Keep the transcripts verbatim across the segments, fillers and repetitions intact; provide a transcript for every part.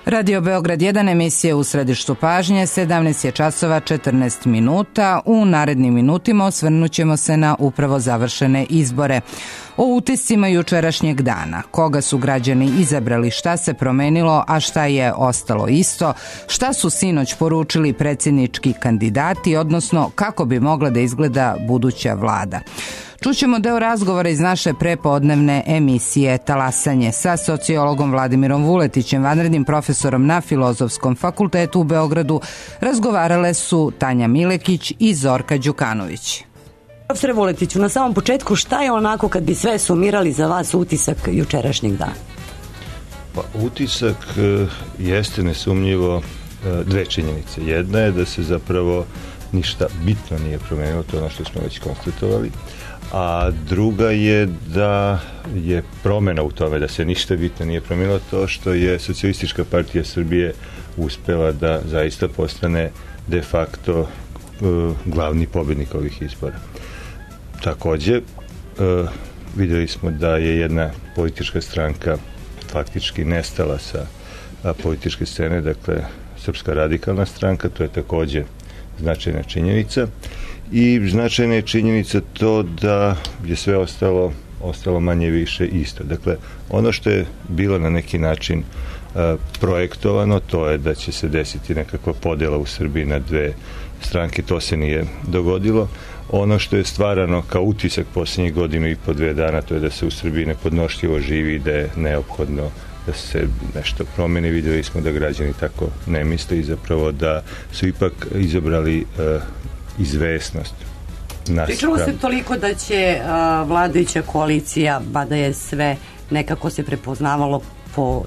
Radio Beograd jedan, emisija U središtu pažnje, sedamnaest je časova četrnaest minuta. U narednim minutima osvrnut ćemo se na upravo završene izbore. O utiscima jučerašnjeg dana, koga su građani izabrali, šta se promenilo, a šta je ostalo isto, šta su sinoć poručili predsjednički kandidati, odnosno kako bi mogla da izgleda buduća vlada. Čućemo deo razgovora iz naše prepodnevne emisije Talasanje sa sociologom Vladimirom Vuletićem, vanrednim profesorom na Filozofskom fakultetu u Beogradu. Razgovarale su Tanja Milekić i Zorka Đukanović. Profesore Vuletiću, na samom početku, šta je onako kad bi sve sumirali za vas utisak jučerašnjeg dana? Pa, utisak e, jeste nesumnjivo e, dve činjenice. Jedna je da se zapravo ništa bitno nije promenilo, to je ono što smo već konstatovali, a druga je da je promena u tome da se ništa bitno nije promenilo to što je Socijalistička partija Srbije uspela da zaista postane de facto e, glavni pobednik ovih izbora. Takođe, e, videli smo da je jedna politička stranka faktički nestala sa a, političke scene, dakle Srpska radikalna stranka, to je takođe značajna činjenica. I značajna je činjenica to da je sve ostalo, ostalo manje više isto. Dakle, ono što je bilo na neki način a, projektovano, to je da će se desiti nekakva podela u Srbiji na dve stranke, to se nije dogodilo. Ono što je stvarano kao utisak posljednjih godinu i po dve dana, to je da se u Srbiji nepodnošljivo živi, da je neophodno da se nešto promeni. Videli smo da građani tako ne misle i zapravo da su ipak izabrali uh, izvesnost. Pričalo se toliko da će uh, vladajuća koalicija, mada je sve nekako se prepoznavalo po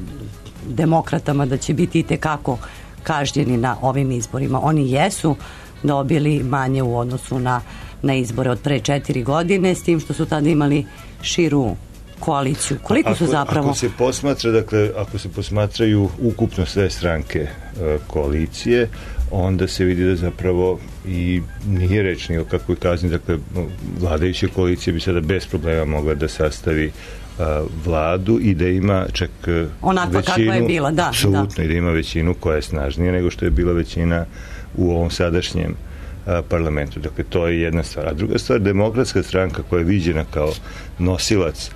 demokratama, da će biti itekako kažnjeni na ovim izborima. Oni jesu dobili manje u odnosu na, na izbore od pre četiri godine, s tim što su tada imali širu koaliciju. Koliko ako, su zapravo... Ako se posmatra, dakle, ako se posmatraju ukupno sve stranke e, koalicije, onda se vidi da zapravo i nije reč ni o kakvoj kazni, dakle, vladajuća koalicija bi sada bez problema mogla da sastavi a, vladu i da ima čak onako većinu, kakva je bila, da. apsolutno, da. I da ima većinu koja je snažnija nego što je bila većina u ovom sadašnjem a, parlamentu. Dakle, to je jedna stvar. A druga stvar, Demokratska stranka koja je viđena kao nosilac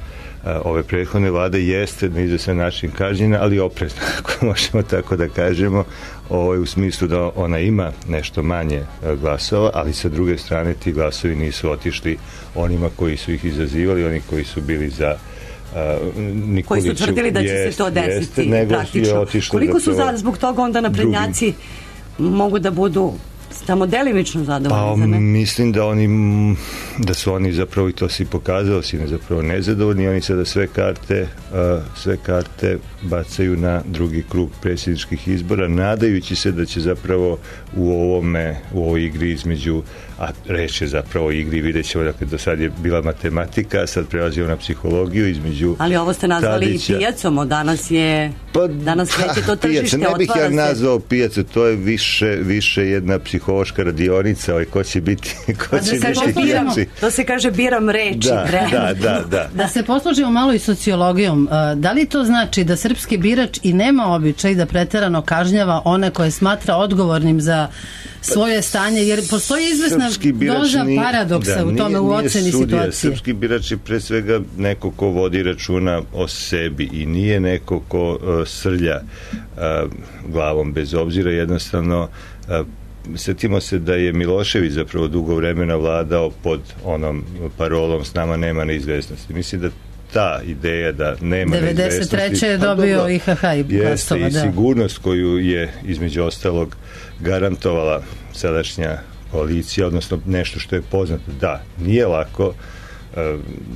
a, ove prethodne vlade jeste na izvestan način kažnjena, ali oprezna, ako možemo tako da kažemo, ovaj, u smislu da ona ima nešto manje a, glasova, ali sa druge strane ti glasovi nisu otišli onima koji su ih izazivali, oni koji su bili za Uh, koji su tvrdili da će jest, se to desiti jeste, praktično. Koliko su za, zbog toga onda naprednjaci drugi mogu da budu samo delimično zadovoljni? Pa mislim da oni da su oni zapravo, i to si pokazao, si ne zapravo nezadovoljni, oni sada sve karte uh, sve karte bacaju na drugi krug predsjedničkih izbora, nadajući se da će zapravo u ovome, u ovoj igri između, a reč je zapravo o igri, vidjet ćemo, dakle, do sad je bila matematika, sad prelazimo na psihologiju između. Ali ovo ste nazvali Tadića i pijacom, od danas je pa, danas kreće to tržište, ne bih ja se... nazvao pijacu, to je više, više jedna psihološka radionica, ovaj, ko će biti ko će da biti pijaci. To se kaže biram reči. Da, da, da, da. Da se poslužimo malo i sociologijom, da li to znači da srpski birač i nema običaj da preterano kažnjava one koje smatra odgovornim za svoje stanje, jer postoji izvesna doza paradoksa da, u tome, nije, u oceni sudija, situacije. Srpski birač je pre svega neko ko vodi računa o sebi i nije neko ko uh, srlja uh, glavom bez obzira, jednostavno uh, setimo se da je Milošević zapravo dugo vremena vladao pod onom parolom s nama nema neizvesnosti. Mislim da ta ideja da nema devedeset treće je dobio I H H i glasova, da. I sigurnost koju je između ostalog garantovala sadašnja koalicija, odnosno nešto što je poznato. Da, nije lako,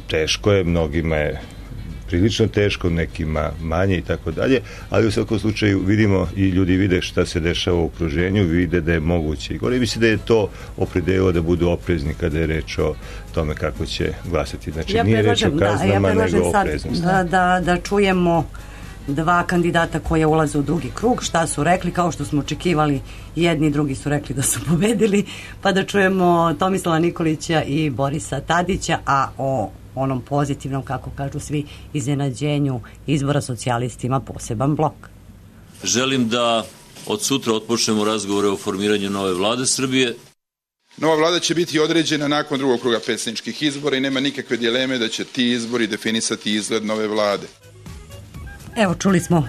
teško je, mnogima je prilično teško, nekima manje i tako dalje, ali u svakom slučaju vidimo i ljudi vide šta se dešava u okruženju, vide da je moguće i gore. I mislim da je to opredelilo da budu oprezni kada je reč o tome kako će glasati. Znači, ja nije reč o kaznama, da, ja nego opreznosti. Da, da, da čujemo dva kandidata koja ulaze u drugi krug, šta su rekli, kao što smo očekivali, jedni i drugi su rekli da su pobedili, pa da čujemo Tomislava Nikolića i Borisa Tadića, a o onom pozitivnom, kako kažu svi, iznenađenju izbora socijalistima poseban blok. Želim da od sutra otpočnemo razgovore o formiranju nove vlade Srbije. Nova vlada će biti određena nakon drugog kruga predsjedničkih izbora i nema nikakve dileme da će ti izbori definisati izgled nove vlade. Evo, čuli smo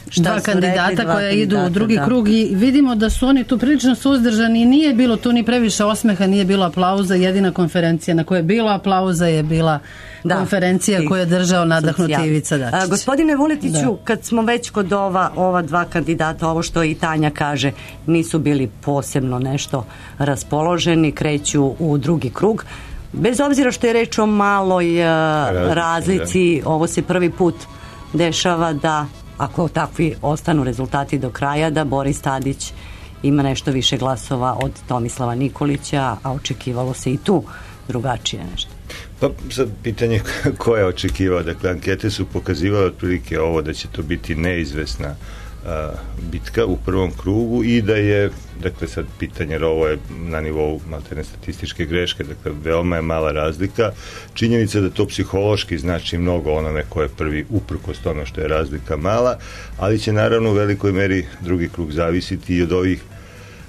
šta dva kandidata rekli, dva koja idu kandidata, u drugi da. krug i vidimo da su oni tu prilično suzdržani i nije bilo tu ni previše osmeha, nije bilo aplauza. Jedina konferencija na kojoj je bilo aplauza je bila da, konferencija koju je držao nadahnuti Ivica Dačić. A, gospodine Vuletiću, da. Kad smo već kod ova, ova dva kandidata, ovo što i Tanja kaže, nisu bili posebno nešto raspoloženi, kreću u drugi krug. Bez obzira što je reč o maloj Razlici, razlici da. Ovo se prvi put dešava da, ako takvi ostanu rezultati do kraja, da Boris Tadić ima nešto više glasova od Tomislava Nikolića, a očekivalo se i tu drugačije nešto. Pa sad pitanje ko je očekivao, dakle ankete su pokazivale otprilike ovo da će to biti neizvesna a, bitka u prvom krugu i da je, dakle sad pitanje, jer ovo je na nivou maltene statističke greške, dakle veoma je mala razlika. Činjenica da to psihološki znači mnogo onome ko je prvi, uprkos tome što je razlika mala, ali će naravno u velikoj meri drugi krug zavisiti i od ovih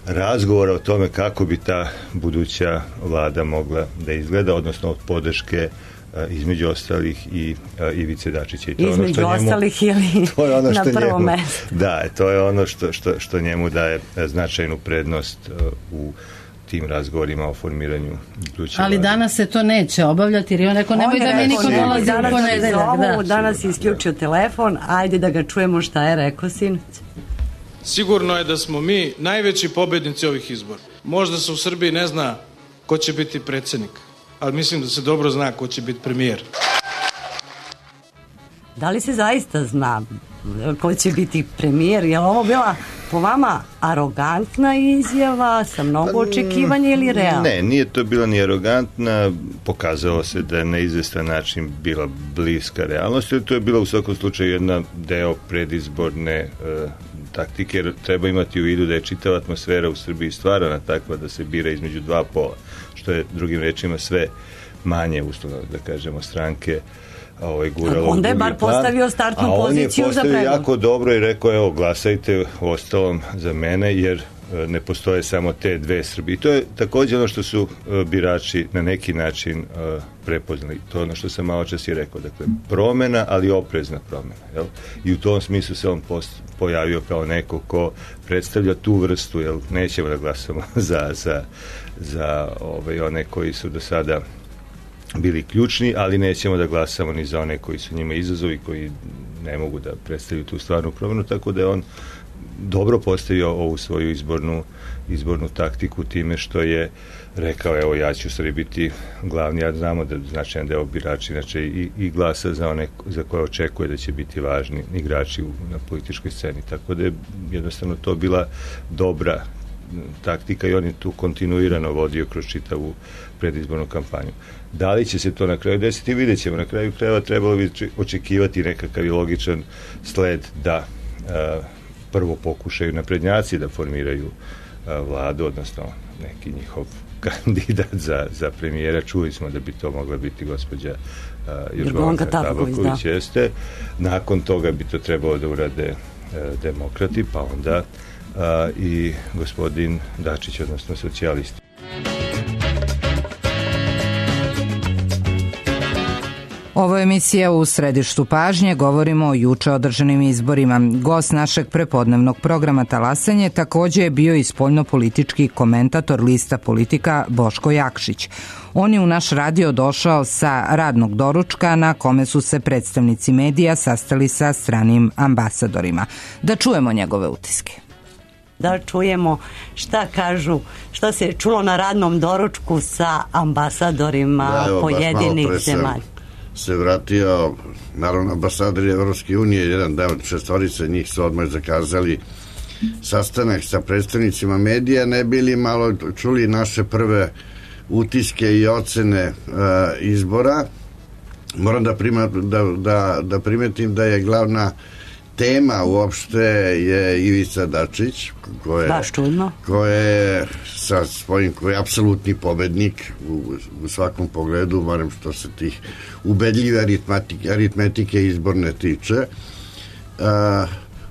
razgovora o tome kako bi ta buduća vlada mogla da izgleda, odnosno od podrške između ostalih i Ivice Dačića. I to između ono što ostalih njemu, ili to je ono što na prvom njemu, mestu. Da, to je ono što, što, što njemu daje značajnu prednost u tim razgovorima o formiranju buduće Ali vlade. Danas se to neće obavljati jer je on rekao nemoj da mi niko dolazi u ponedeljak. Da. Danas je isključio telefon, ajde da ga čujemo šta je rekao sinoć. Sigurno je da smo mi najveći pobednici ovih izbora. Možda se u Srbiji ne zna ko će biti predsjednik, ali mislim da se dobro zna ko će biti premijer. Da li se zaista zna ko će biti premijer? Je li ovo bila po vama arogantna izjava sa mnogo očekivanja ili realna? Ne, nije to bila ni arogantna, pokazalo se da je na izvestan način bila bliska realnosti, to je bila u svakom slučaju jedna deo predizborne uh, taktike, jer treba imati u vidu da je čitava atmosfera u Srbiji stvarana takva da se bira između dva pola, što je drugim rečima sve manje uslovno, da kažemo, stranke ovaj, guralo. Onda je bar postavio startnu a poziciju za on je postavio pregovor. jako dobro i rekao, evo, glasajte ostalom za mene, jer ne postoje samo te dve Srbije. I to je također ono što su uh, birači na neki način uh, prepoznali. To je ono što sam malo čas i rekao. Dakle, promena, ali oprezna promena. Jel? I u tom smislu se on post, pojavio kao neko ko predstavlja tu vrstu, jel? Nećemo da glasamo za, za, za ovaj, one koji su do sada bili ključni, ali nećemo da glasamo ni za one koji su njima izazovi, koji ne mogu da predstavljaju tu stvarnu promenu, tako da je on dobro postavio ovu svoju izbornu, izbornu taktiku time što je rekao, evo, ja ću stvari biti glavni, a znamo da značajan deo birači inače i, i glasa za one za koje očekuje da će biti važni igrači u, na političkoj sceni, tako da je jednostavno to bila dobra taktika i on je tu kontinuirano vodio kroz čitavu predizbornu kampanju. Da li će se to na kraju desiti, vidjet ćemo. Na kraju krajeva trebalo bi očekivati nekakav i logičan sled da a, prvo pokušaju naprednjaci da formiraju a, vladu, odnosno neki njihov kandidat za, za premijera. Čuli smo da bi to mogla biti gospođa Jorgovanka Tabaković, da. Jeste. Nakon toga bi to trebalo da urade a, demokrati, pa onda a, i gospodin Dačić, odnosno socijalisti. Ovo je emisija U središtu pažnje, govorimo o juče održanim izborima. Gost našeg prepodnevnog programa Talasanje također je bio i spoljnopolitički komentator lista Politika Boško Jakšić. On je u naš radio došao sa radnog doručka na kome su se predstavnici medija sastali sa stranim ambasadorima. Da čujemo njegove utiske. Da čujemo šta kažu, šta se je čulo na radnom doručku sa ambasadorima da, evo, pojedinih zemalja. Se vratio, naravno, ambasadori Evropske unije, jedan deo šestorice njih su odmah zakazali sastanak sa predstavnicima medija, ne bili malo čuli naše prve utiske i ocene uh, izbora. Moram da, prima, da, da, da primetim da je glavna tema uopšte je Ivica Dačić, ko je, baš čudno, ko je sa svojim, ko je apsolutni pobednik u, u svakom pogledu, barem što se tih ubedljive aritmetike, aritmetike izborne tiče. Uh,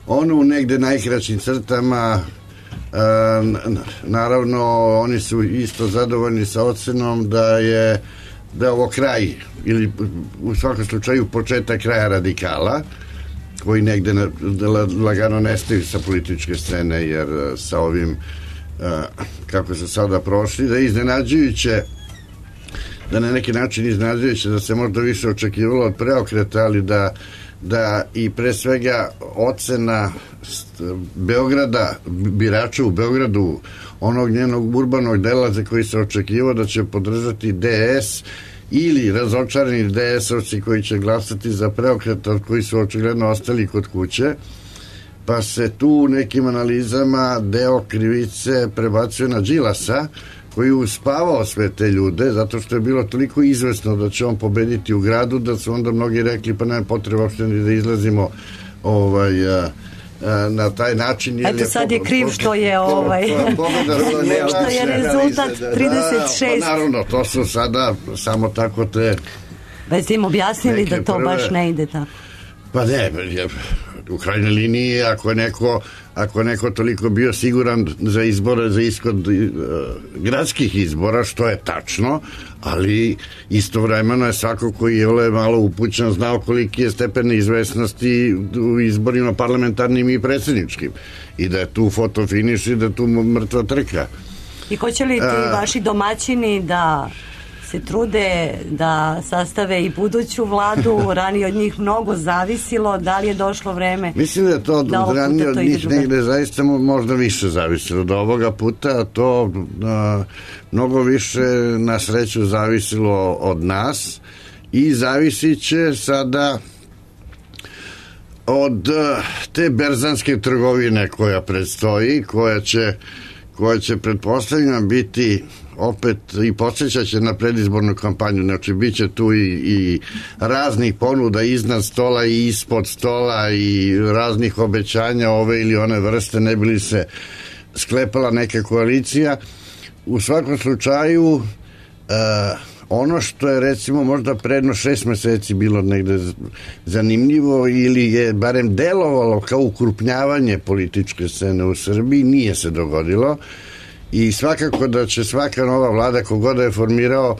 ono u negde najkraćim crtama, naravno oni su isto zadovoljni sa ocenom da je da je ovo kraj ili u svakom slučaju početak kraja radikala koji negde lagano nestaju sa političke scene, jer sa ovim kako se sada prošli, da je iznenađujuće, da na neki način iznenađujuće da se možda više očekivalo od preokreta, ali da da i pre svega ocena Beograda, birača u Beogradu, onog njenog urbanog dela za koji se očekivao da će podržati D S ili razočarani D S-ovci koji će glasati za preokret, koji su očigledno ostali kod kuće, pa se tu u nekim analizama deo krivice prebacuje na Đilasa, koji je uspavao sve te ljude, zato što je bilo toliko izvesno da će on pobediti u gradu, da su onda mnogi rekli pa nema potreba uopšte ni da izlazimo ovaj, a, a, na taj način. Eto sad je kriv što je ovaj što je rezultat trideset šest. Pa naravno, to su sada samo tako te... Već ste im objasnili da to baš ne ide tako. Pa ne, u krajnjoj liniji ako je neko ako je neko toliko bio siguran za izbore, za ishod uh, gradskih izbora, što je tačno, ali istovremeno je svako koji je malo upućen znao koliki je stepen izvesnosti u izborima parlamentarnim i predsjedničkim i da je tu fotofiniš i da je tu mrtva trka. I hoće li ti vaši domaćini da se trude da sastave i buduću vladu, ranije od njih mnogo zavisilo, da li je došlo vreme? Mislim da je to da ranije od njih negde zaista možda više zavisilo do ovoga puta, a to a, mnogo više na sreću zavisilo od nas i zavisit će sada od a, te berzanske trgovine koja predstoji, koja će koja će pretpostavljena biti opet i podsjećat će na predizbornu kampanju, znači bit će tu i, i raznih ponuda iznad stola i ispod stola i raznih obećanja ove ili one vrste, ne bi li se sklepala neka koalicija. U svakom slučaju uh, ono što je recimo možda predno šest meseci bilo negde zanimljivo ili je barem delovalo kao ukrupnjavanje političke scene u Srbiji, nije se dogodilo. I svakako da će svaka nova vlada kogoda je formirao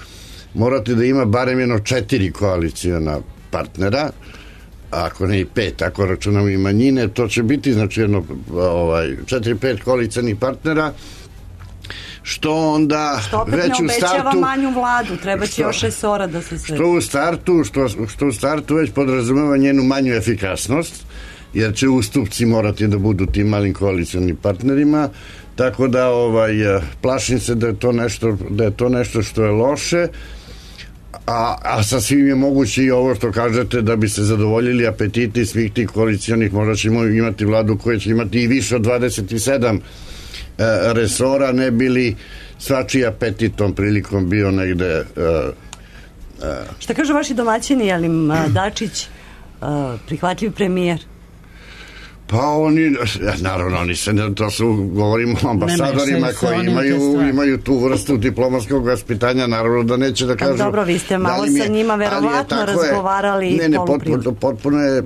morati da ima barem jedno četiri koalicijona partnera, ako ne i pet, ako računamo i manjine, to će biti znači jedno ovaj, četiri, pet koalicijonih partnera, što onda što opet već ne u startu obećava manju vladu, treba će još resora da se sve. Što u startu, što, što u startu već podrazumeva njenu manju efikasnost, jer će ustupci morati da budu tim malim koalicijonim partnerima. Tako da ovaj, plašim se da je to nešto, da je to nešto što je loše, a, a sasvim je moguće i ovo što kažete da bi se zadovoljili apetiti svih tih koalicijonih, možda ćemo imati vladu koja će imati i više od dvadeset sedam e, resora, ne bili svačiji apetit tom prilikom bio negde... E, e. Šta kažu vaši domaćini, je li Dačić e, prihvatljiv premijer? Pa oni, naravno, oni se, to su, govorimo o ambasadorima koji imaju, imaju tu vrstu diplomatskog vaspitanja, naravno da neće da kažu... Dobro, vi ste malo sa njima verovatno razgovarali. Ne, ne, potpuno, potpuno je uh,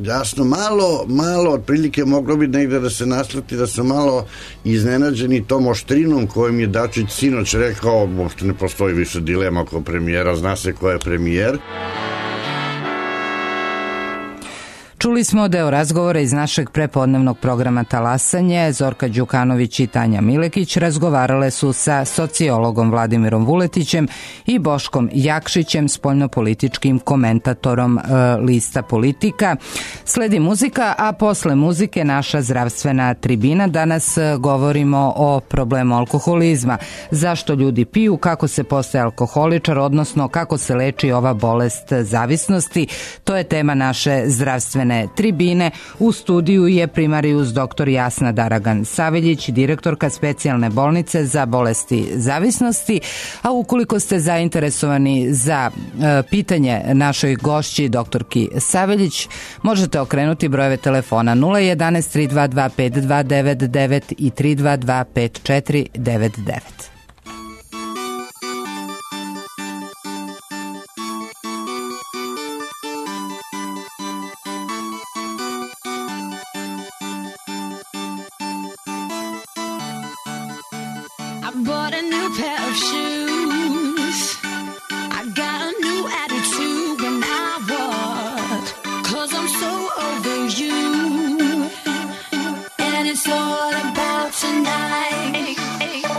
jasno, malo, malo, otprilike moglo bi negde da se nasluti da su malo iznenađeni tom oštrinom kojim je Dačić sinoć rekao, uopšte ne postoji više dilema oko premijera, zna se ko je premijer. Čuli smo deo razgovora iz našeg prepodnevnog programa Talasanje. Zorka Đukanović i Tanja Milekić razgovarale su sa sociologom Vladimirom Vuletićem i Boškom Jakšićem, spoljnopolitičkim komentatorom e, lista Politika. Sledi muzika, a posle muzike naša zdravstvena tribina. Danas govorimo o problemu alkoholizma. Zašto ljudi piju, kako se postaje alkoholičar, odnosno kako se leči ova bolest zavisnosti. To je tema naše zdravstvene tribine. U studiju je primarijus doktor Jasna Daragan Saveljić, direktorka specijalne bolnice za bolesti zavisnosti. A ukoliko ste zainteresovani za e, pitanje našoj gošći doktorki Saveljić, možete okrenuti brojeve telefona nula jedanaest tri dva dva pet dva devet devet i tri dva dva pet četiri devet devet. I bought a new pair of shoes. I got a new attitude when I walk, 'cause I'm so over you. And it's all about tonight.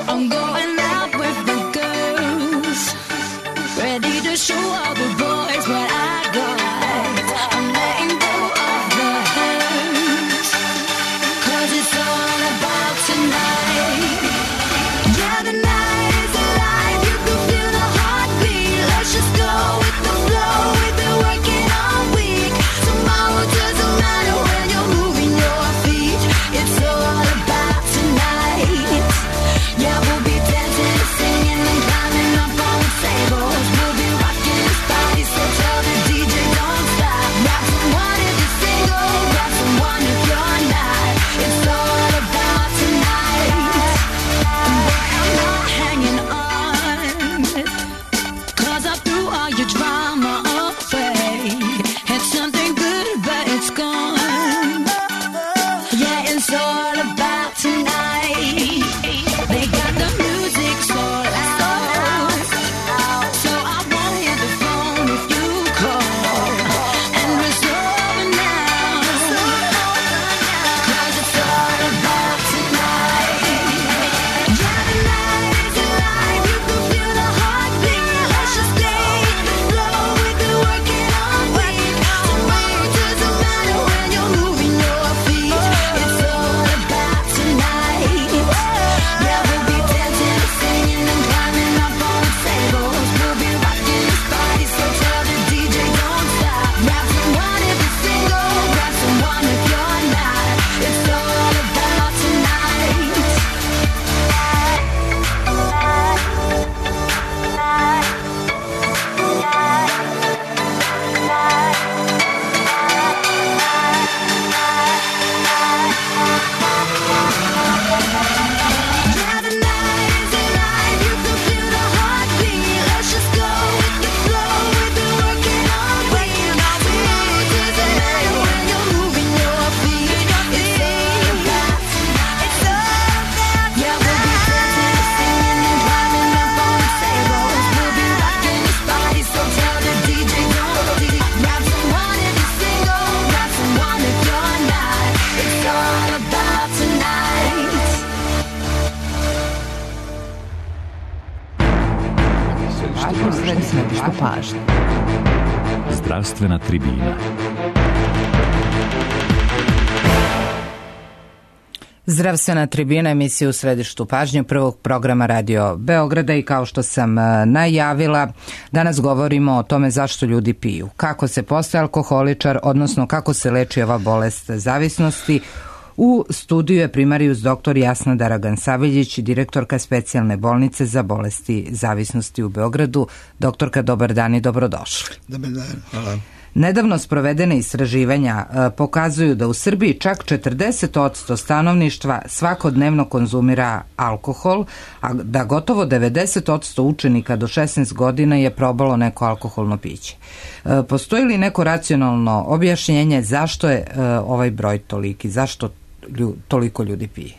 I'm going out with the girls, ready to show all the boys what I got. I'm letting go of the hurt, 'cause it's all about tonight. Yeah, the night is alive, you can feel the heartbeat. Let's just go with the flow, we've been working all week. Tomorrow doesn't matter when you're moving your feet. It's all about tonight. Yeah, we'll be dancing and singing and climbing up on the tables. We'll be rocking this party, so tell the D J don't stop. Grab someone if you're single, grab someone if you're not. It's all about tonight. And boy, I'm not hanging on, 'cause I threw all your drama away. It's something good, but it's gone. Yeah, it's all about tonight. They got the music so loud, so I won't hit the phone if you call. And it's over now, 'cause it's all about tonight. Yeah, the night is alive, you can feel the heartbeat. Let's just stay in the flow, we've been working all week. Tomorrow doesn't matter when you're moving your feet. It's all about tonight. Yeah, we'll be dancing and singing and climbing up on the tables. We'll be rocking this party, so tell the D J don't stop. Grab someone if you're single, grab someone if you're not. It's all about tonight. Yeah, the night is alive, you can feel the heartbeat. Let's just go with the flow, we've been working all week. Tomorrow doesn't matter when you're moving your feet. It's all about tonight. It's all about tonight. Yeah, we'll be dancing and singing and climbing up on the tables. We'll be rocking this party, so tell the D J don't leave. Grab someone if you're single, grab someone if you're not. It's all about tonight. Središtu pažnje. Zdravstvena tribina. Zdravstvena tribina, emisija u središtu pažnje prvog programa Radio Beograda i kao što sam najavila, danas govorimo o tome zašto ljudi piju, kako se postaje alkoholičar, odnosno kako se leči ova bolest zavisnosti. U studiju je primarijus doktor Jasna Daragan-Saveljić, direktorka specijalne bolnice za bolesti zavisnosti u Beogradu. Doktorka, dobar dan i dobrodošli. Dobar dan, hvala. Nedavno sprovedene istraživanja pokazuju da u Srbiji čak četrdeset posto stanovništva svakodnevno konzumira alkohol, a da gotovo devedeset posto učenika do šesnaest godina je probalo neko alkoholno piće. Postoji li neko racionalno objašnjenje zašto je ovaj broj toliki, zašto toliko ljudi pije?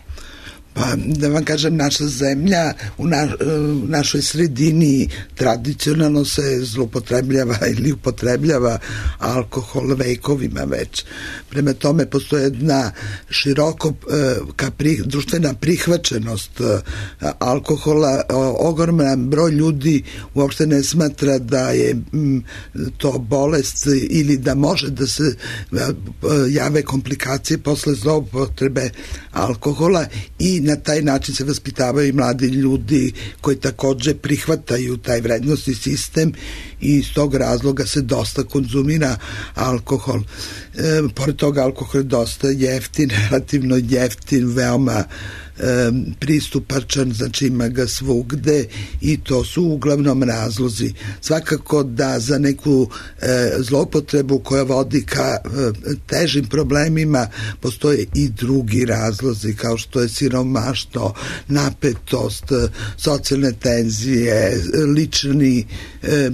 Pa da vam kažem, naša zemlja u, na, u našoj sredini tradicionalno se zloupotrebljava ili upotrebljava alkohol vekovima već. Prema tome postoje jedna široko ka pri, društvena prihvaćenost alkohola. Ogroman broj ljudi uopšte ne smatra da je m, to bolest ili da može da se jave komplikacije posle zloupotrebe alkohola i na taj način se vaspitavaju i mladi ljudi koji takođe prihvataju taj vrednosni sistem i iz tog razloga se dosta konzumira alkohol. E, pored toga alkohol je dosta jeftin, relativno jeftin, veoma e, pristupačan, znači ima ga svugde i to su uglavnom razlozi. Svakako da za neku e, zloupotrebu koja vodi ka e, težim problemima postoje i drugi razlozi kao što je siromaštvo, napetost, socijalne tenzije, lični e,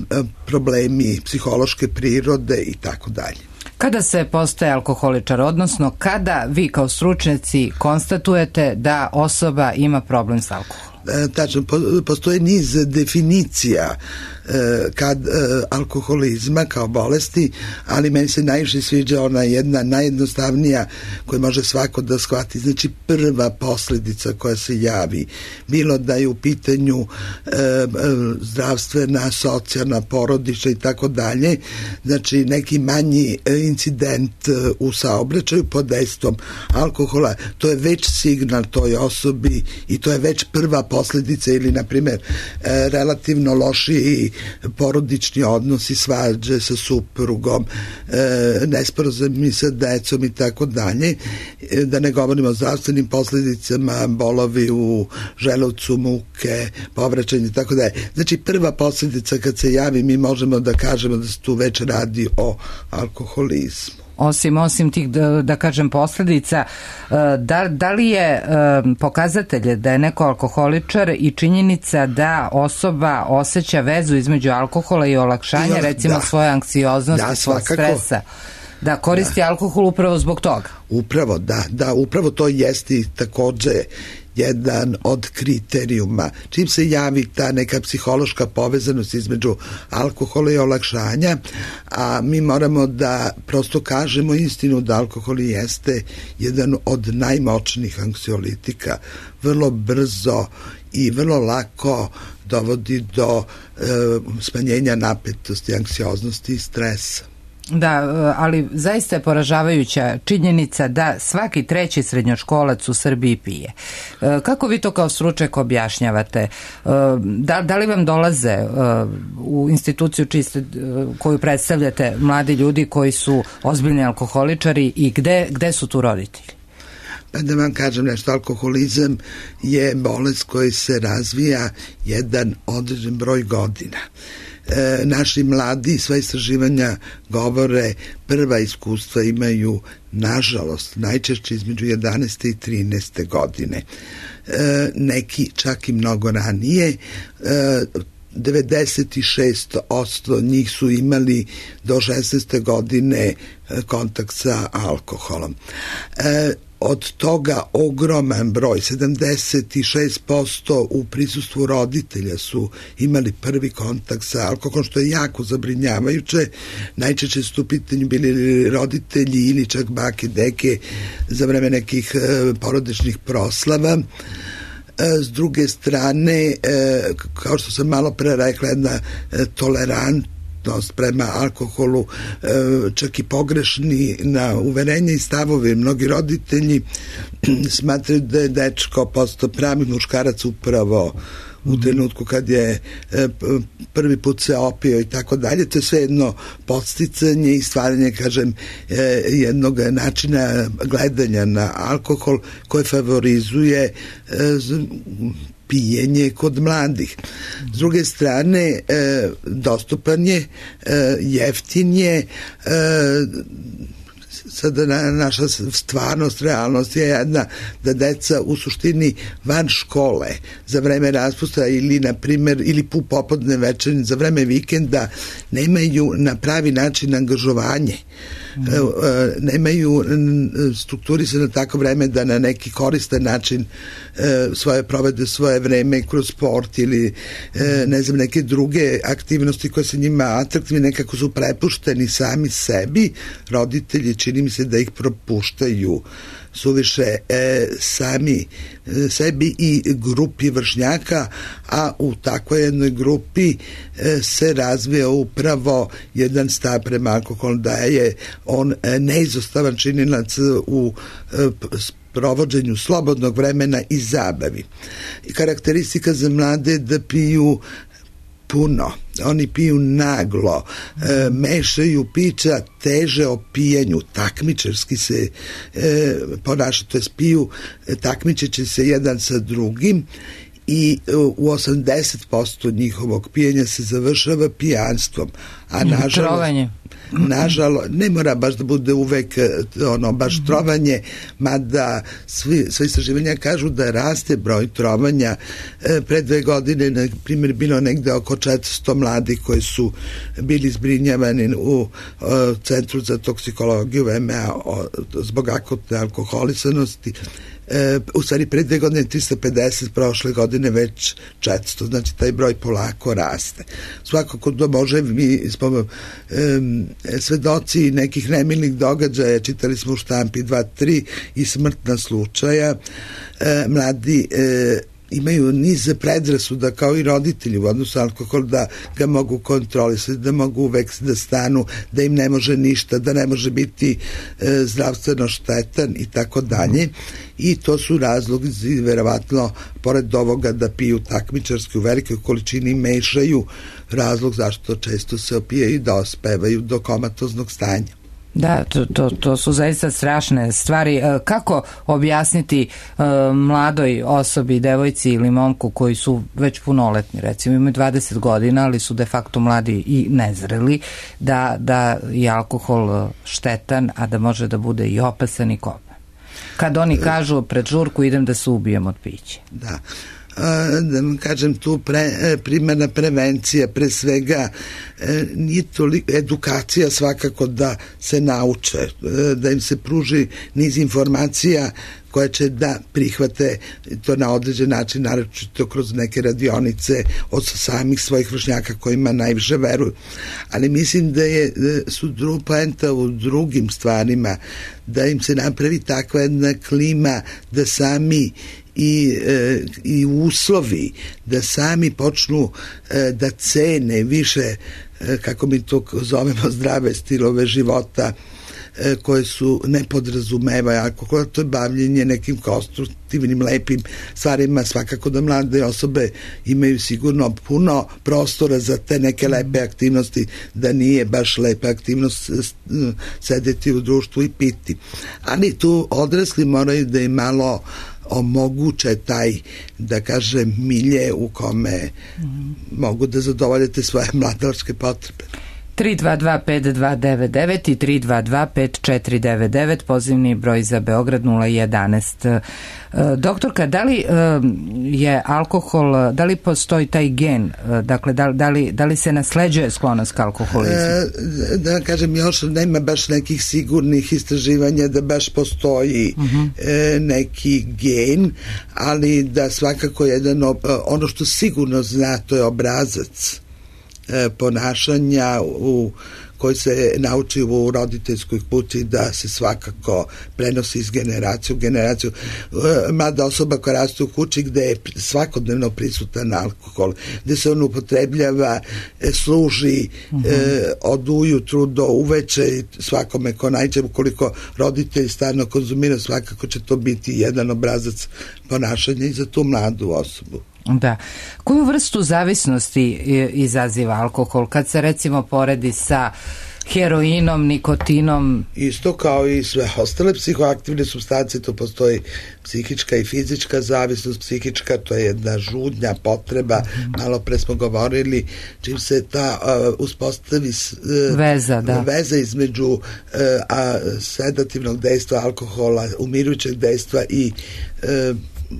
problemi psihološke prirode i tako dalje. Kada se postaje alkoholičar, odnosno kada vi kao stručnjaci konstatujete da osoba ima problem s alkoholom? Tačno, postoje niz definicija kad alkoholizma kao bolesti, ali meni se najviše sviđa ona jedna najjednostavnija koju može svako da shvati. Znači prva posljedica koja se javi, bilo da je u pitanju zdravstvena, socijalna, porodična i tako dalje, znači neki manji incident u saobraćaju pod dejstvom alkohola, to je već signal toj osobi i to je već prva posljedica, ili na primjer relativno loši porodični odnosi, svađe sa suprugom, nesporazumi sa decom i tako dalje, da ne govorimo o zdravstvenim posljedicama, bolovi u želucu, muke, povraćanje i tako dalje. Znači prva posljedica kad se javi, mi možemo da kažemo da se tu već radi o alkoholizmu. Osim, osim tih, da, da kažem, posljedica, da, da li je pokazatelj da je neko alkoholičar i činjenica da osoba osjeća vezu između alkohola i olakšanja, ja, recimo, da, svoje anksioznosti, da, svog stresa, da koristi da. alkohol upravo zbog toga? Upravo, da, da, upravo to jeste takođe jedan od kriterijuma. Čim se javi ta neka psihološka povezanost između alkohola i olakšanja, a mi moramo da prosto kažemo istinu da alkohol jeste jedan od najmoćnijih anksiolitika. Vrlo brzo i vrlo lako dovodi do e, smanjenja napetosti, anksioznosti i stresa. Da, ali zaista je poražavajuća činjenica da svaki treći srednjoškolac u Srbiji pije. Kako vi to kao stručnjak objašnjavate? Da, da li vam dolaze u instituciju čiste, koju predstavljate mladi ljudi koji su ozbiljni alkoholičari i gde, gde su tu roditelji? Pa da vam kažem nešto, alkoholizam je bolest koji se razvija jedan određen broj godina. E, naši mladi, sva istraživanja govore, prva iskustva imaju, nažalost, najčešće između jedanaeste i trinaeste godine. E, neki čak i mnogo ranije. E, devedeset šest posto njih su imali do šesnaeste godine kontakt sa alkoholom. E, od toga ogroman broj, sedamdeset šest posto u prisustvu roditelja su imali prvi kontakt sa alkoholom, što je jako zabrinjavajuće. Najčešće su u pitanju bili roditelji ili čak bake, deke za vreme nekih e, porodičnih proslava. S druge strane, kao što sam malo pre rekla, jedna tolerantnost prema alkoholu, čak i pogrešni na uverenje i stavove. Mnogi roditelji smatraju da je dečko postao pravi muškarac upravo u trenutku kad je prvi put se opio i tako dalje. To je sve jedno podsticanje i stvaranje, kažem, jednog načina gledanja na alkohol koje favorizuje pijenje kod mladih. S druge strane, dostupan je, jeftin je, sada naša stvarnost, realnost je jedna da deca u suštini van škole za vreme raspusta ili na primjer ili pu popodne večernje za vreme vikenda nemaju na pravi način angažovanje. Mm. Nemaju strukturisano na tako vreme da na neki koristan način svoje provede svoje vreme kroz sport ili ne znam neke druge aktivnosti koje se njima atraktivne, nekako su prepušteni sami sebi. Roditelji čini mi se da ih propuštaju suviše e, sami e, sebi i grupi vršnjaka, a u takvoj jednoj grupi e, se razvija upravo jedan stav prema alkoholu, da je on e, neizostavan činilac u e, provođenju slobodnog vremena i zabavi. I karakteristika za mlade da piju puno, oni piju naglo, e, mešaju pića, teže o pijenju, takmičarski se e, ponašaju, to je piju, e, takmičeći se jedan sa drugim i u osamdeset posto njihovog pijenja se završava pijanstvom, a nažalost trovanje. Nažalost, ne mora baš da bude uvek ono, baš trovanje, mada svi, svi istraživanja kažu da raste broj trovanja. E, pre dve godine, na primjer, bilo negde oko četiristo mladih koji su bili zbrinjavani u o, Centru za toksikologiju V M A o, zbog akutne alkoholisanosti. e, u stvari pre dve godine tristo pedeset, prošle godine već četiristo, znači taj broj polako raste. Svakako to može, mi smo e, svedoci nekih nemilih događaja, čitali smo u štampi dva tri i smrtna slučaja, e, mladi e, imaju niz predrasuda kao i roditelji u odnosu alkohol, da ga mogu kontrolisati, da mogu uvek da stanu, da im ne može ništa, da ne može biti e, zdravstveno štetan i tako dalje. I to su razlozi, verovatno, pored ovoga da piju takmičarski u velikoj količini, mešaju razlog zašto često se opijaju i da ospevaju do komatoznog stanja. Da, to, to, to su zaista strašne stvari. Kako objasniti uh, mladoj osobi, devojci ili momku koji su već punoletni, recimo imaju dvadeset godina, ali su de facto mladi i nezreli, da, da je alkohol štetan, a da može da bude i opasan i kopan? Kad oni kažu pred žurku idem da se ubijem od pića. Da. Da vam kažem, tu pre, primarna prevencija pre svega nije toliko, edukacija svakako da se nauče, da im se pruži niz informacija koje će da prihvate to na određen način, naročito kroz neke radionice od samih svojih vršnjaka kojima najviše veruju. Ali mislim da je su dru, poenta u drugim stvarima, da im se napravi takva jedna klima da sami i, e, i uslovi da sami počnu e, da cene više, e, kako mi to zovemo, zdrave stilove života e, koje su ne podrazumevaju alkohol, to je bavljenje nekim konstruktivnim, lepim stvarima. Svakako da mlade osobe imaju sigurno puno prostora za te neke lepe aktivnosti, da nije baš lepa aktivnost sedeti u društvu i piti. Ali tu odrasli moraju da im malo omoguće taj, da kažem, milje u kome mm. mogu da zadovoljite svoje mladalačke potrebe. tri dva dva pet dva devet devet i tri dva dva pet četiri devet devet, pozivni broj za Beograd nula jedanaest. Doktorka, da li je alkohol, da li postoji taj gen, dakle, da, da, li, da li se nasleđuje sklonost ka alkoholizmu? E, da kažem, još nema baš nekih sigurnih istraživanja da baš postoji uh-huh. e, neki gen, ali da svakako jedan, ono što sigurno zna, to je obrazac ponašanja u koji se nauči u roditeljskoj kući, da se svakako prenosi iz generacije u generaciju. Mlada osoba koja raste u kući gde je svakodnevno prisutan alkohol, gde se on upotrebljava, služi uh-huh. e, od ujutru do uveče svakome ko najče, ukoliko roditelj stalno konzumira, svakako će to biti jedan obrazac ponašanja i za tu mladu osobu. Da. Koju vrstu zavisnosti izaziva alkohol kad se recimo poredi sa heroinom, nikotinom? Isto kao i sve ostale psihoaktivne supstance, to postoji psihička i fizička zavisnost. Psihička, to je jedna žudnja, potreba, malo pre smo govorili, čim se ta uh, uspostavi uh, veza, da. veza između uh, a, sedativnog dejstva alkohola, umirujućeg dejstva i uh,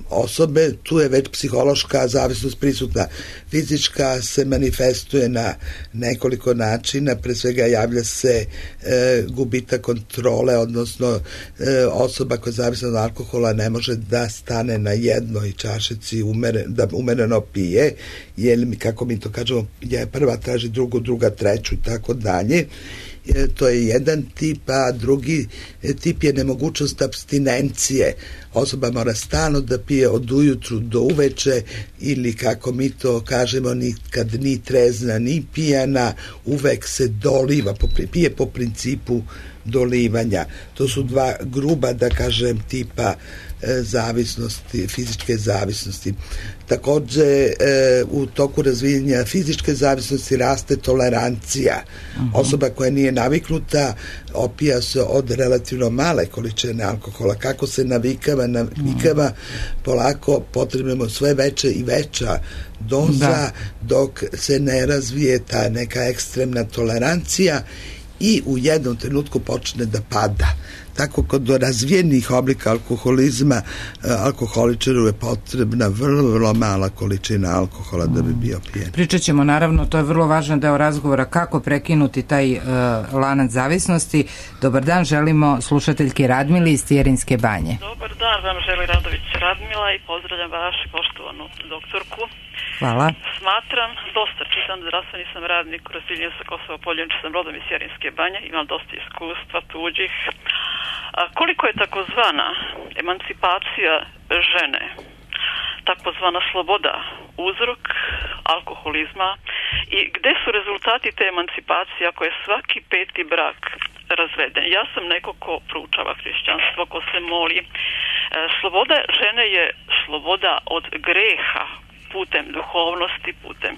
osobe, tu je već psihološka zavisnost prisutna. Fizička se manifestuje na nekoliko načina, pre svega javlja se e, gubitak kontrole, odnosno e, osoba koja je zavisna od alkohola ne može da stane na jednoj čašici umeren, da umereno pije, jer, kako mi to kažemo, je prva traži drugu, druga treću i tako dalje. To je jedan tip, a drugi tip je nemogućnost apstinencije. Osoba mora stalno da pije od ujutru do uveče, ili kako mi to kažemo, nikad ni trezna ni pijana, uvek se doliva, pije po principu dolivanja. To su dva gruba, da kažem, tipa zavisnosti, fizičke zavisnosti. Takođe, e, u toku razvijenja fizičke zavisnosti raste tolerancija. Uh-huh. Osoba koja nije naviknuta opija se od relativno male količine alkohola. Kako se navikava, navikava, uh-huh. polako potrebujemo sve veće i veća doza, da. Dok se ne razvije ta neka ekstremna tolerancija i u jednom trenutku počne da pada. Tako kod razvijenih oblika alkoholizma alkoholičaru je potrebna vrlo, vrlo mala količina alkohola da bi bio pijen. Pričat ćemo, naravno, to je vrlo važan deo razgovora, kako prekinuti taj uh, lanac zavisnosti. Dobar dan, želimo slušateljki Radmili iz Tijerinske banje. Dobar dan. dan, vam želi Radović Radmila i pozdravljam vašu poštovanu doktorku. Hvala. Smatram, dosta čitam, zdravstveni sam radnik, Rosiljen sa Kosova Poljević, sam rodom iz Jarinske banje, imam dosta iskustva tuđih. A koliko je takozvana emancipacija žene, takozvana sloboda, uzrok alkoholizma i gde su rezultati te emancipacije ako je svaki peti brak razveden? Ja sam neko ko proučava hrišćanstvo, ko se moli. E, sloboda žene je sloboda od greha, putem duhovnosti, putem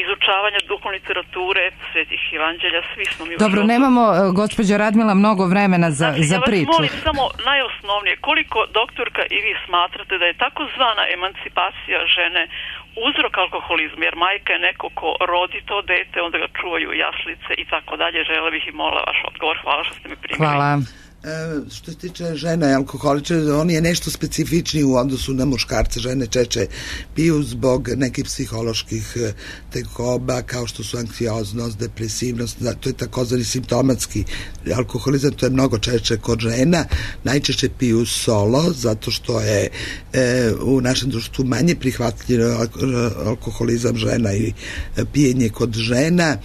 izučavanja duhovne literature, svetih evanđelja, svi smo mi... Dobro, nemamo, gospođo Radmila, mnogo vremena za, znači, za priču. Ja vas molim samo najosnovnije, koliko, doktorka, i vi smatrate da je takozvana emancipacija žene uzrok alkoholizma, jer majka je neko ko rodi to dete, onda ga čuvaju jaslice i tako dalje. Žele bih i mola vaš odgovor. Hvala što ste mi primili. Hvala. E, što se tiče žena i alkoholičara, on je nešto specifičniji u odnosu na muškarce. Žene čeče piju zbog nekih psiholoških tegoba kao što su anksioznost, depresivnost, to je takozvani simptomatski alkoholizam, to je mnogo češće kod žena. Najčešće piju solo zato što je e, u našem društvu manje prihvatljivo alkoholizam žena i pijenje kod žena.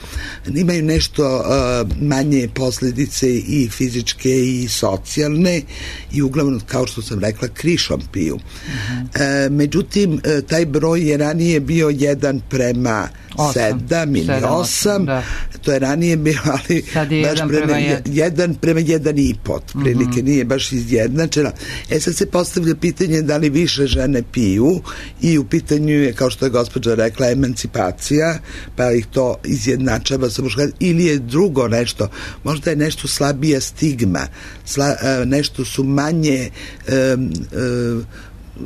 Imaju nešto e, manje posljedice i fizičke i socijalne i uglavnom, kao što sam rekla, krišom piju. Uh-huh. E, međutim, taj broj je ranije bio jedan prema sedam ili osam, da. To je ranije bio, ali sad je baš jedan prema, prema jedan. jedan prema jedan i pot, prilike, uh-huh. Nije baš izjednačena. E sad se postavlja pitanje da li više žene piju i u pitanju je, kao što je gospođa rekla, emancipacija, pa ih to izjednačava sa muškarcima, ili je drugo nešto, možda je nešto slabija stigma, Sla, nešto su manje um, um,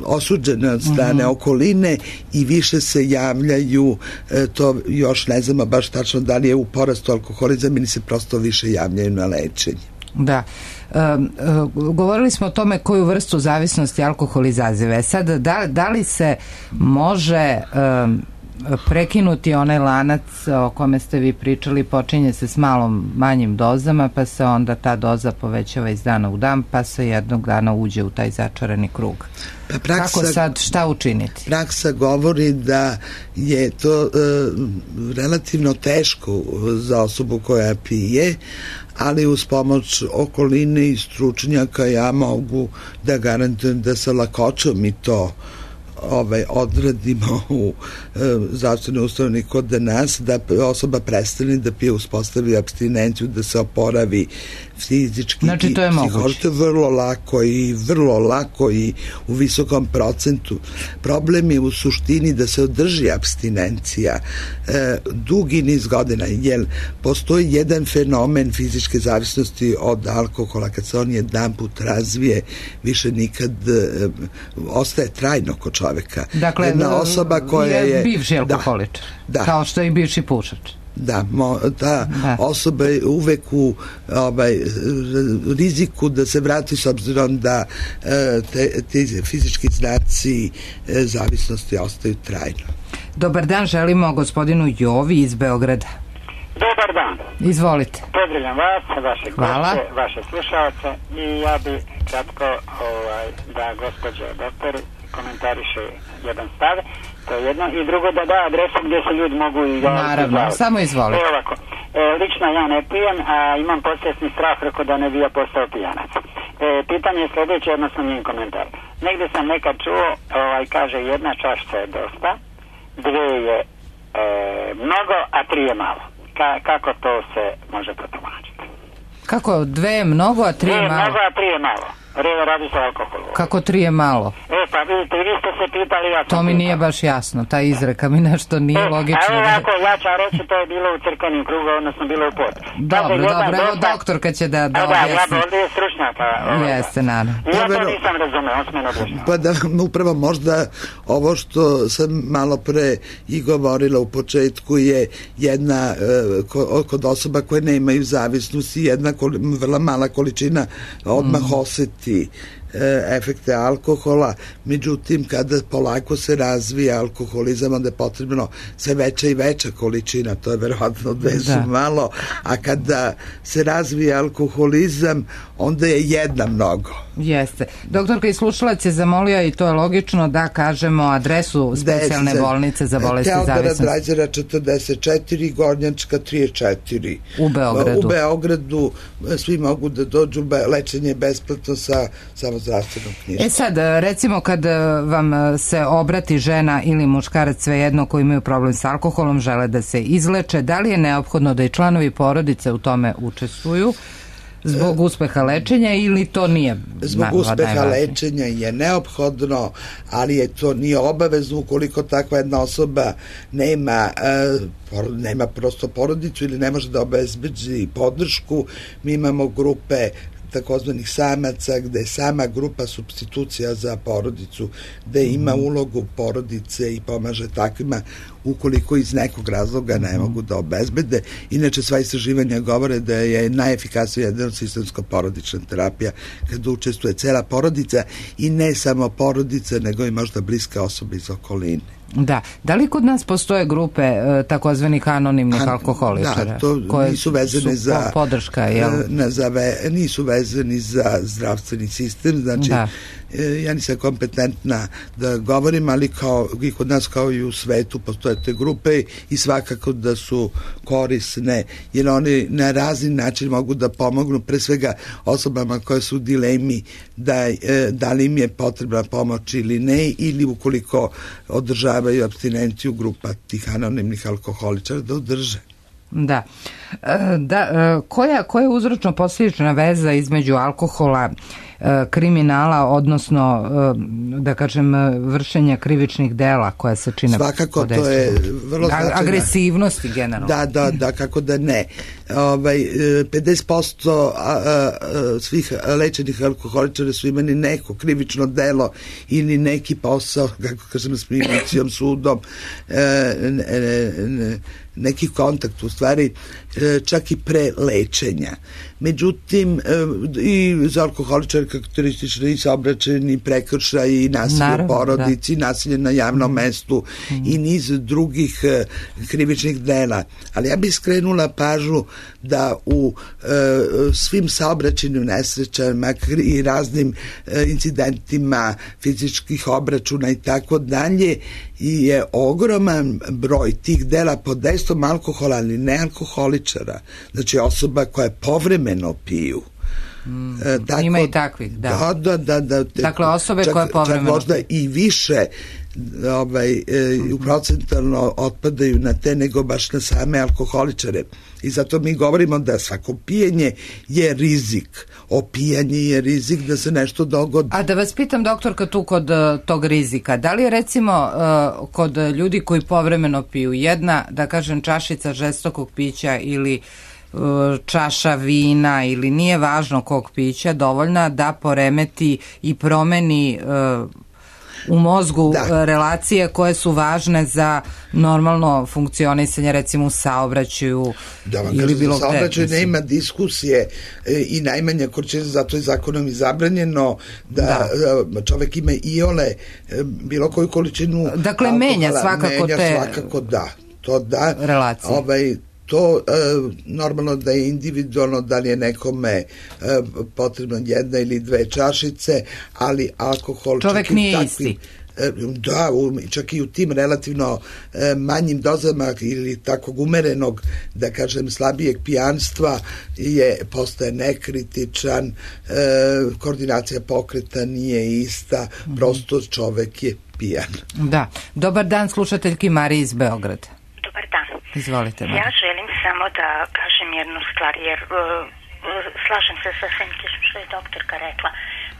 osuđene od strane uh-huh. okoline i više se javljaju, e, to još ne znamo baš tačno da li je u porastu alkoholizam ili se prosto više javljaju na lečenje. Da. E, e, govorili smo o tome koju vrstu zavisnosti alkohol izaziva. Sad, da, da li se može e, prekinuti onaj lanac o kome ste vi pričali, počinje se s malom manjim dozama, pa se onda ta doza povećava iz dana u dan, pa se jednog dana uđe u taj začarani krug. Pa praksa, kako sad, šta učiniti? Praksa govori da je to e, relativno teško za osobu koja pije, ali uz pomoć okoline i stručnjaka ja mogu da garantujem da sa lakoćom i to ovaj, odradimo u e, zdravstvenoj ustanovi kod nas, da osoba prestane da pije, uspostavi apstinenciju, da se oporavi fizički. Znači to je moguće. To je vrlo lako i vrlo lako i u visokom procentu. Problem je u suštini da se održi apstinencija e, dugi niz godina, jer postoji jedan fenomen fizičke zavisnosti od alkohola, kad se on jedan put razvije, više nikad e, ostaje trajno kod čoveka. Dakle, jedna osoba koja je, je bivši alkoholičar, da, da. Kao što je i bivši pušač. Da, mo, ta da. osoba je uvek u ovaj, riziku da se vrati, s obzirom da te, te fizički znaci zavisnosti ostaju trajno. Dobar dan, želimo gospodinu Jovi iz Beograda. Dobar dan. Izvolite. Pozdravljam vas, vaše goste, vaše slušalce i ja bi kratko ovaj, da gospođa doktor komentariše jedan stav. To je jedno. I drugo da da adresu gdje se ljudi mogu i javiti. Naravno, izvaliti. Samo izvolite. E, ovako. E, lično ja ne pijem, a imam podsvjesni strah reko da ne bi ja postao pijanac. E, pitanje je sljedeće, odnosno njen komentar. Negdje sam nekad čuo, ovaj, kaže jedna čašica je dosta, dvije je e, mnogo, a tri je malo. Ka, kako to se može protumačiti? Kako dve je mnogo, a tri je malo? Dve je mnogo, a tri je malo. Radi se o alkoholu. Kako tri je malo? E, pa vidite, vi ste se pitali, ja to mi pitali. Nije baš jasno, ta izreka mi nešto nije e, logično. A ovako, ja ću reći, to je bilo u crkvenim krugu, odnosno bilo u pot. Dobro, dobro, evo doktorka će da, da objasni. Da, ja ovdje je stručnjaka. Jeste, naravno. Ja to nisam razumeo, on smeno objašnjava. Pa da, upravo možda ovo što sam malo pre i govorila u početku je jedna, kod osoba koje nemaju zavisnosti, jedna vrlo mala količina odmah osjeti efekte alkohola, međutim kada polako se razvija alkoholizam, onda je potrebno sve veća i veća količina, to je verovatno dve su da. malo, a kada se razvija alkoholizam, onda je jedna mnogo. Jeste. Doktorka i slušalac je zamolio, i to je logično, da kažemo adresu specijalne bolnice za bolesti Teodora zavisnosti. Drajzera četrdeset četiri, Gornjačka trideset četiri. U Beogradu. U Beogradu svi mogu da dođu, lečenje je besplatno sa samozdravstvenom knjižicom. E sad, recimo kad vam se obrati žena ili muškarac, svejedno, koji imaju problem s alkoholom, žele da se izleče, da li je neophodno da i članovi porodice u tome učestvuju zbog uspeha lečenja ili to nije? Zbog uspeha lečenja je neophodno, ali je to nije obavezno ukoliko takva jedna osoba nema nema prosto porodicu ili ne može da obezbedi podršku. Mi imamo grupe takozvanih samaca, gde je sama grupa supstitucija za porodicu, gde ima ulogu porodice i pomaže takvima ukoliko iz nekog razloga ne mogu da obezbede. Inače, sva istraživanja govore da je najefikasnija jedna sistemska porodična terapija kada učestvuje cela porodica i ne samo porodica, nego i možda bliska osoba iz okoline. Da. Da li kod nas postoje grupe e, takozvanih anonimnih A, alkoholičara? Da, to koje nisu vezane za podrška, jel? Na, za ve, nisu vezani za zdravstveni sistem, znači da. e, ja nisam kompetentna da govorim, ali kao i kod nas kao i u svetu postoje te grupe i svakako da su korisne, jer oni na razni način mogu da pomognu pre svega osobama koje su u dilemi da, e, da li im je potrebna pomoć ili ne, ili ukoliko održavaju apstinenciju, grupa tih anonimnih alkoholičara da održe. Da. Da, koja, koja je uzročno-posljedična veza između alkohola, kriminala, odnosno da kažem vršenja krivičnih dela koja se čine? Svakako, to je vrlo značajna. Agresivnosti generalno. Da, da, da, kako da ne. Ovaj, pedeset posto svih lečenih alkoholičara su imali neko krivično delo ili neki posao, kako kažem, s milicijom, sudom, neki kontakt, u stvari čak i pre lečenja. Međutim, i za alkoholičare karakteristični i saobraćajni prekršaj i nasilje u porodici, da. nasilje na javnom mestu mm. i niz drugih krivičnih dela. Ali ja bih skrenula pažnju da u e, svim saobraćajnim nesrećama i raznim e, incidentima fizičkih obračuna i tako dalje je ogroman broj tih dela pod dejstvom alkohola, ali ne alkoholičara. Znači osoba koja povremeno piju. Mm, e, tako, ima i takvih, da. Da, da, da. Te, dakle, osobe čak, koje povremeno čak možda i više ovaj, e, mm-hmm. procentalno otpadaju na te nego baš na same alkoholičare. I zato mi govorimo da svako pijenje je rizik. Opijanje je rizik da se nešto dogodi. A da vas pitam, doktorka, tu kod uh, tog rizika, da li je recimo uh, kod ljudi koji povremeno piju jedna, da kažem, čašica žestokog pića ili uh, čaša vina ili nije važno kog pića dovoljna da poremeti i promeni uh, u mozgu da. relacije koje su važne za normalno funkcionisanje, recimo u saobraćaju da vam ili kažem, bilo gde. Saobraćaj nema diskusije e, i najmanja količina, zato je zakonom i zabranjeno da, da. čovek ima iole e, bilo koju količinu dakle alkohola, menja svakako menja te svakako da, to da relacije. Ovaj, to e, normalno da je individualno, da li je nekome e, potrebno jedna ili dve čašice, ali alkohol čovek nije takvim, isti. E, da, u, čak i u tim relativno e, manjim dozama ili takvog umerenog, da kažem, slabijeg pijanstva je postaje nekritičan, e, koordinacija pokreta nije ista, mm-hmm. prosto čovek je pijan. Da. Dobar dan, slušateljki Mariji iz Beograda. Dobar dan. Izvolite. Marija. Ja želim samo da kažem jednu stvar, jer uh, slažem se sa svim tim što je doktorka rekla.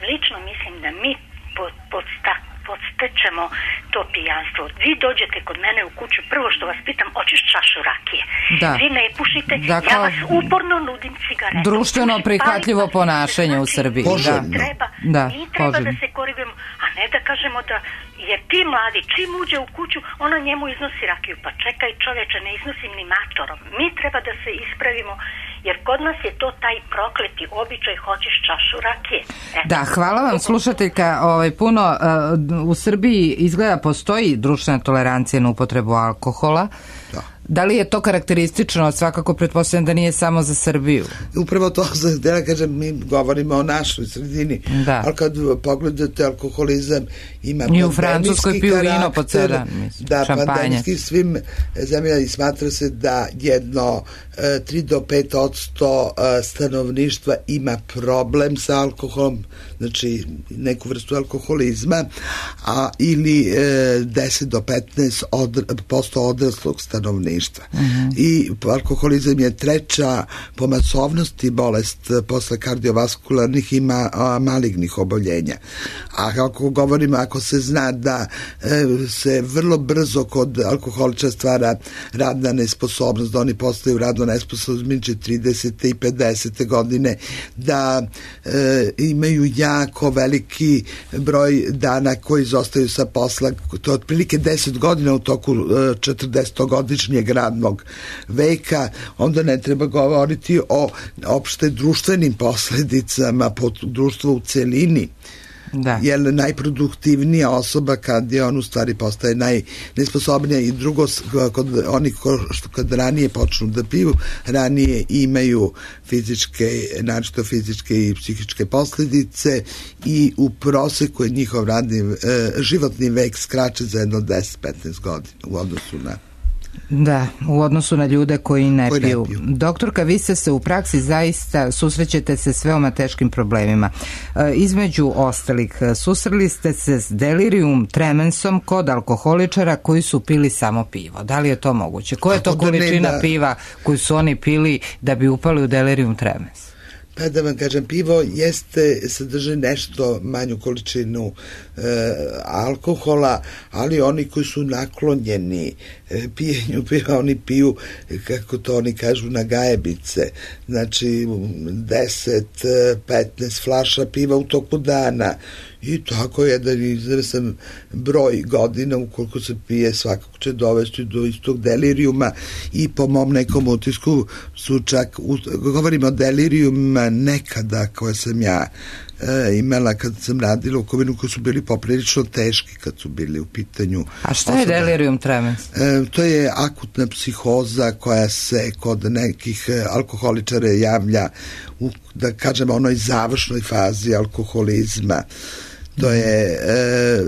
Lično mislim da mi pod, podsta, podstečemo to pijanstvo. Vi dođete kod mene u kuću, prvo što vas pitam, hoćeš čašu rakije? Da. Vi ne pušite, dakle, ja vas uporno nudim cigaretu. Društveno prihvatljivo ponašanje u Srbiji. Poželjno. Mi treba, da, mi treba da se korigujemo, a ne da kažemo da jer ti mladi, čim uđe u kuću, ona njemu iznosi rakiju. Pa čekaj čoveče, ne iznosim ni matorom. Mi treba da se ispravimo jer kod nas je to taj prokleti običaj, hoćeš čašu rakije. E. Da, hvala vam slušateljka, ovaj, puno uh, u Srbiji izgleda postoji društvena tolerancija na upotrebu alkohola. Da. Da li je to karakteristično? Svakako pretpostavljam da nije samo za Srbiju. Upravo to, da ja kažem, mi govorimo o našoj sredini, da. Ali kad pogledate alkoholizam ima i u Francuskoj piju vino po ceo dan, da, pandemijski svim zemljama, i smatra se da jedno tri do pet odsto stanovništa ima problem sa alkoholom, znači neku vrstu alkoholizma, a ili deset do petnaest posto odraslog stanovništva. Uh-huh. I alkoholizam je treća po masovnosti bolest posle kardiovaskularnih i ma, a, malignih oboljenja. A kako govorimo, ako se zna da e, se vrlo brzo kod alkoholiča stvara radna nesposobnost, da oni postaju radno nesposobni između tridesete i pedesete godine, da e, imaju jako veliki broj dana koji izostaju sa posla, to je otprilike deset godina u toku e, četrdesetogodišnjeg radnog veka, onda ne treba govoriti o opšte društvenim posledicama po društvo u celini. Da. Jer najproduktivnija osoba kad je on u stvari postaje najnesposobnija, i drugo, kod onih kad ranije počnu da piju, ranije imaju fizičke, naročito fizičke i psihičke posledice, i u proseku je njihov radni, životni vek skraće za jedno deset do petnaest godina u odnosu na Da, u odnosu na ljude koji ne, koji piju. ne piju. Doktorka, vi ste se u praksi zaista susrećete se s veoma teškim problemima. E, između ostalih, susreli ste se s delirium tremensom kod alkoholičara koji su pili samo pivo. Da li je to moguće? Koja je to količina da... piva koju su oni pili da bi upali u delirium tremens? Pa da vam kažem, pivo jeste, sadrži nešto manju količinu e, alkohola, ali oni koji su naklonjeni e, pijenju piva, oni piju, kako to oni kažu, na gajebice. Znači deset do petnaest flaša piva u toku dana. I tako jedan izresan broj godina ukoliko se pije, svakako će dovesti do istog delirijuma, i po mom nekom utisku su čak, govorimo o delirijuma nekada koje sam ja e, imala kad sam radila u Kovinu, koji su bili poprilično teški kad su bili u pitanju. A šta je delirium tremens? E, to je akutna psihoza koja se kod nekih alkoholičara javlja u, da kažemo, onoj završnoj fazi alkoholizma. To je e,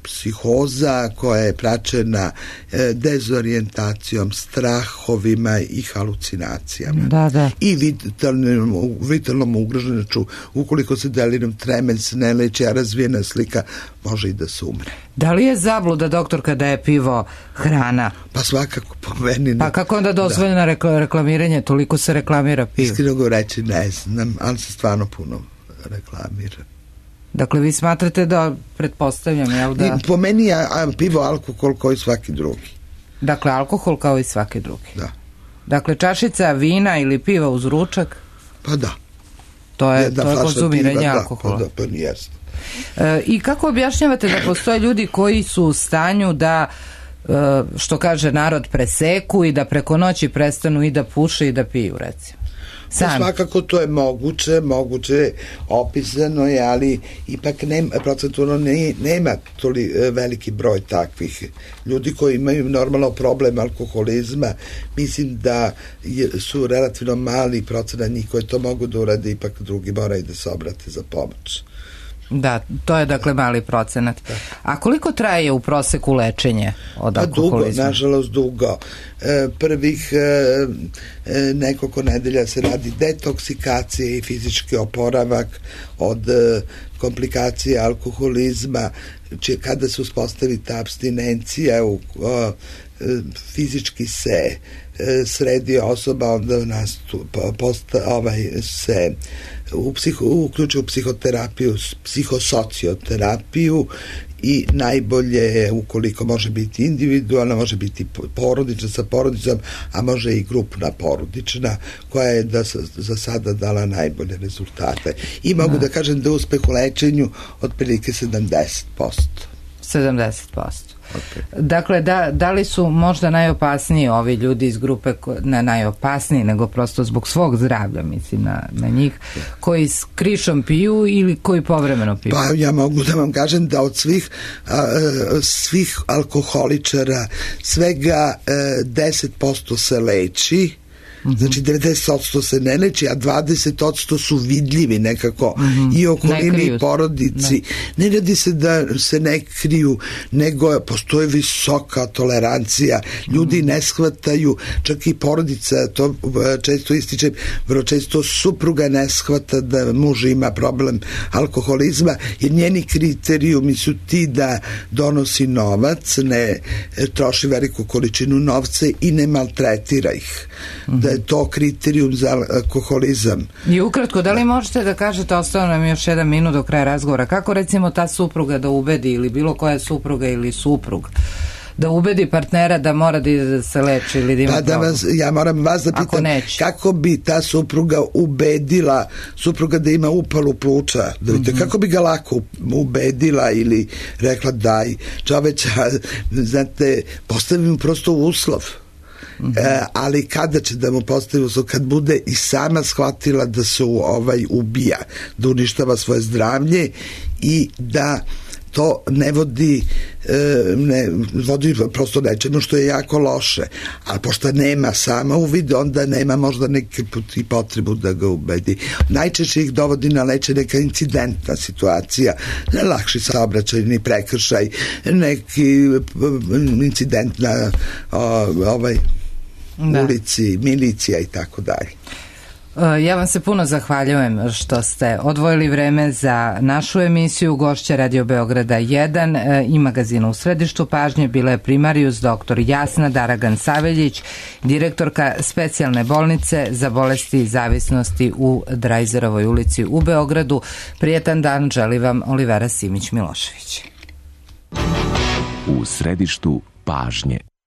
psihoza koja je praćena e, dezorijentacijom, strahovima i halucinacijama. Da, da. I vitalnom, vitalnom ugroženošću. Ukoliko se delirium tremens ne leči, a razvijena slika, može i da se umre. Da li je zabluda, doktorka, da je pivo hrana? Pa svakako, po meni. Pa kako onda dozvoljeno da. reklamiranje? Toliko se reklamira pivo. Iskreno govoreći ne znam, ali se stvarno puno reklamira. Dakle, vi smatrate da, pretpostavljam, jel da... Po meni je pivo alkohol kao i svaki drugi. Dakle, alkohol kao i svaki drugi. Da. Dakle, čašica vina ili piva uz ručak? Pa da. To je, to je konzumiranje piva, alkohola. Da, pa, da, pa nijesno. E, I kako objašnjavate da postoje ljudi koji su u stanju da, e, što kaže narod, preseku i da preko noći prestanu i da puše i da piju, recimo? Pa svakako to je moguće, moguće, opisano je, ali ipak nema, procentualno ne, nema toli veliki broj takvih ljudi koji imaju normalno problem alkoholizma. Mislim da je, su relativno mali procenat njih koji to mogu da urade, ipak drugi moraju da se obrate za pomoć. Da, to je dakle mali procenat. Da. A koliko traje u proseku lečenje od alkoholizma? Pa dugo, nažalost dugo. E, prvih e, nekoliko nedelja se radi detoksikacije i fizički oporavak od e, komplikacije alkoholizma, či, kada se uspostavi ta abstinencija, u, o, fizički se sredi osoba, onda nas posta, ovaj, se u psiho, uključuje u psihoterapiju, psihosocioterapiju, i najbolje je, ukoliko može biti individualna, može biti porodična sa porodicom, a može i grupna porodična, koja je da, za sada dala najbolje rezultate. I mogu da, da kažem da uspeh u lečenju otprilike sedamdeset posto. sedamdeset posto. Dakle, da, da li su možda najopasniji ovi ljudi iz grupe, ne najopasniji, nego prosto zbog svog zdravlja, mislim na, na njih, koji s krišom piju ili koji povremeno piju? Pa ja mogu da vam kažem da od svih a, svih alkoholičara svega a, deset posto se leči. Znači devedeset posto se ne leči, a dvadeset posto su vidljivi nekako mm-hmm. i okolini i porodici. Ne. ne radi se da se ne kriju, nego postoje visoka tolerancija. Ljudi mm-hmm. ne shvataju, čak i porodica, to često ističem, vrlo često supruga ne shvata da muž ima problem alkoholizma, jer njeni kriterijumi su ti da donosi novac, ne troši veliku količinu novca i ne maltretira ih. Mm-hmm. Da je to kriterijum za alkoholizam. I ukratko, da li možete da kažete, ostao nam još jedan minut do kraja razgovora, kako recimo ta supruga da ubedi, ili bilo koja supruga ili suprug, da ubedi partnera da mora da ide da se leči ili da ima pa da vas, ja moram vas da pitam kako bi ta supruga ubedila supruga da ima upalu pluća, da vidite, mm-hmm. kako bi ga lako ubedila ili rekla daj čoveća, znate, postavim prosto uslov. Mm-hmm. E, ali kada će da mu postavi uslov, kad bude i sama shvatila da se ovaj ubija, da uništava svoje zdravlje i da to ne vodi e, ne vodi prosto nečemu što je jako loše, a pošto nema sama uvid, onda nema možda neki put i potrebu da ga ubedi. Najčešće ih dovodi na leče neka incidentna situacija, lakši saobraćajni prekršaj, neki incident na o, ovaj da. ulici, milicija i tako dalje. Ja vam se puno zahvaljujem što ste odvojili vreme za našu emisiju. Gošća Radio Beograda jedan i magazina U središtu pažnje bila je primarijus doktor Jasna Daragan-Saveljić, direktorka specijalne bolnice za bolesti i zavisnosti u Drajzerovoj ulici u Beogradu. Prijetan dan želi vam Olivera Simić-Milošević. U središtu pažnje.